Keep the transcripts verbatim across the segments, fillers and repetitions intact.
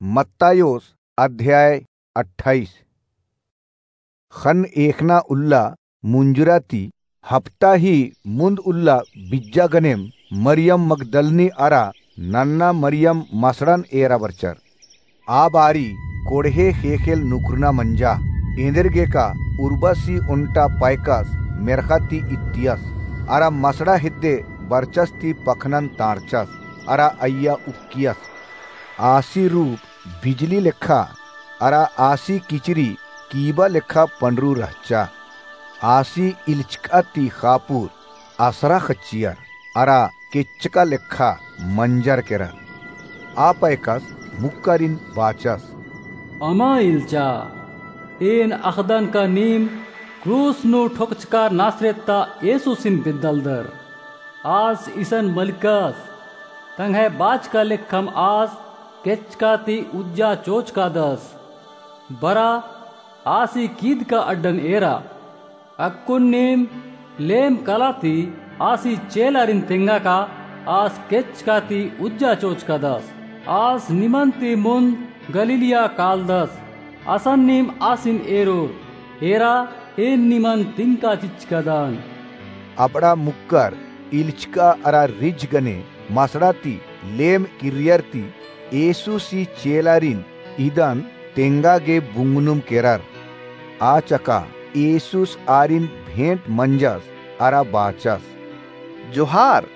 मत्तायोस अध्याय अट्ठाईस। ख़न्न एख़ना उल्ला मुंजुरा ती हप्ता ही मुन्द उल्ला बिज्जा गनेम मरियम मगदलनी अरा नन्ना मरियम मसड़न एरा बरचर। आ बारी कोड़हे ख़ेख़ेल नुख़ुरना मंजा। एन्देरगेका उर्बसी ओन्टा पैकस मेर्ख़ा ती इत्तियस, अरा मसड़ा हेद्दे बरचस ती पखनन ताड़चस, अरा अइय्या उक्कियस। आसी रूप बिजली लेखा, अरा आसी किचरी कीबा लेखा पंडरू रहचा। आसी इल्चका ती ख़ापुर असरा ख़च्चियर, अरा केच्चका लेखा मंजर केरर। आ पैकस मुक्कारिन बाचस। अमा इल्चा, एन अख़दन का नीम क्रूस नू ठोकचका नासरेत ता येसुसिन बेद्दालदर। आस इसन मलिकस, तंग्है बाचका लेखम आस केच्चका ती उज्जा चोचकादस। बरा आसी कीदका अड्डन एरा। अक्कुन नीम लेम कला ती आसी चेलारिन तेंगा का आस केच्चका ती उज्जा चोचकादस। आस निमन ती मुन्द गलीलिया कालदस। असन नीम आसिन एरोर, एरा एन निमन तिंका चिच्चकादन। अबड़ा मुक्कर इल्चका अरा रिझ गने मसड़ा ती लेम किर्रियर ती येसुसी चेलारिन इदन तेंगा गे बुंगनुम केरर। आ चका येसुस आरिन भेंट मंजस अरा बाचस। जोहार।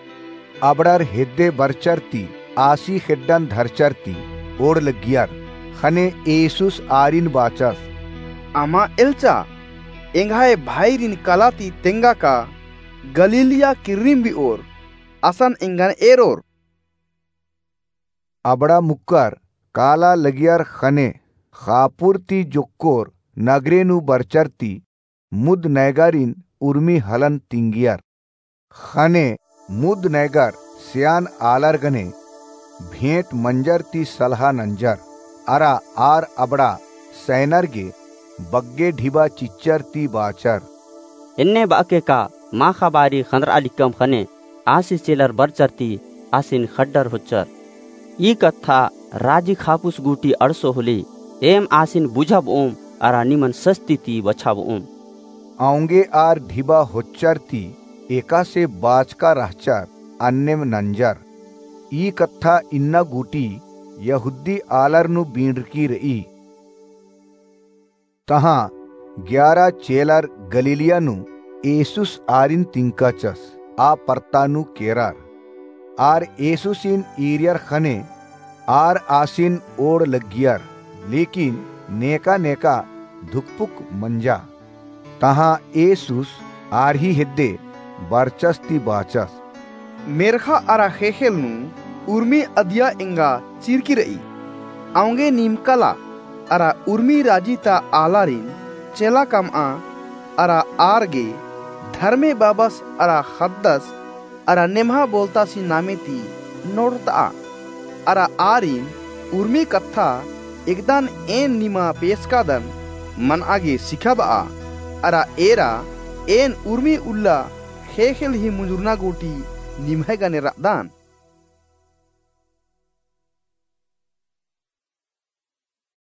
अबड़र हेद्दे बरचर ती आसी खेड्डन धरचर ती ओड़ लग्गियर। ख़ने येसुस आरिन बाचस। अमा एल्चा, एंग्है भाईरिन कला ती तेंगा का गलीलिया किर्रिम बिओर, असन एंगन एरोर। अबड़ा मुक्कर काला लगियर ख़ने ख़ापुर ती जोक्कोर नगरे नू बरचर ती मुद नैगारिन उर्मी हलन तिंगियर। ख़ने मुद नैगर सेयान आलर गने भेंट मंजर ती सलहा नंजर, अरा आर अबड़ा सैनर गे बग्गे ढिबा चिच्चर ती बाचर। एन्ने बअके का माख़ा बारी ख़न्दरआ लिक्कम ख़ने आसी चेलर बरचर ती आसिन ख़ड्डर होच्चर। ई कत्था राजी ख़ापुस गूटी अंड़सो होले, एम आसिन बुझाबओम अरा निमन सस्ती ती बछाबओम। औंगे आर ढिबा होच्चर ती एकासे बाचका रहचर अन्नेम नंजर। ई कत्था इन्ना गूटी यहूदी आलर नू बींड़रकी रई। तहाँ ग्यारा चेलर गलीलिया नू येसुस आरिन तिंकाचस, आ परता नू केरर। आर येसुसिन ईरियर ख़ने आर आसिन ओड़ लग्गियर, लेकिन नेका नेका धुकपुक मंजा। तहाँ येसुस आर ही हेद्दे बरचस ती बाचस। मेर्ख़ा अरा ख़ेख़ेल नू उर्मी अदिया एंगा चिरकी रई। औंगे नीम कला अरा उर्मी राजी ता आलारिन चेला कमआ अरा आर गे धर्मे बाबस अरा ख़द्दस अरा नेम्हा बोलतासी नामे ती नोड़रतआ। अरा आरिन उर्मी कत्था एकदन एन निमा पेसकादन मनआ गे सिखाबआ। अरा एरा एन उर्मी उल्ला ख़ेख़ेल ही मुंजुरना गूटी निम्है गने रअदन।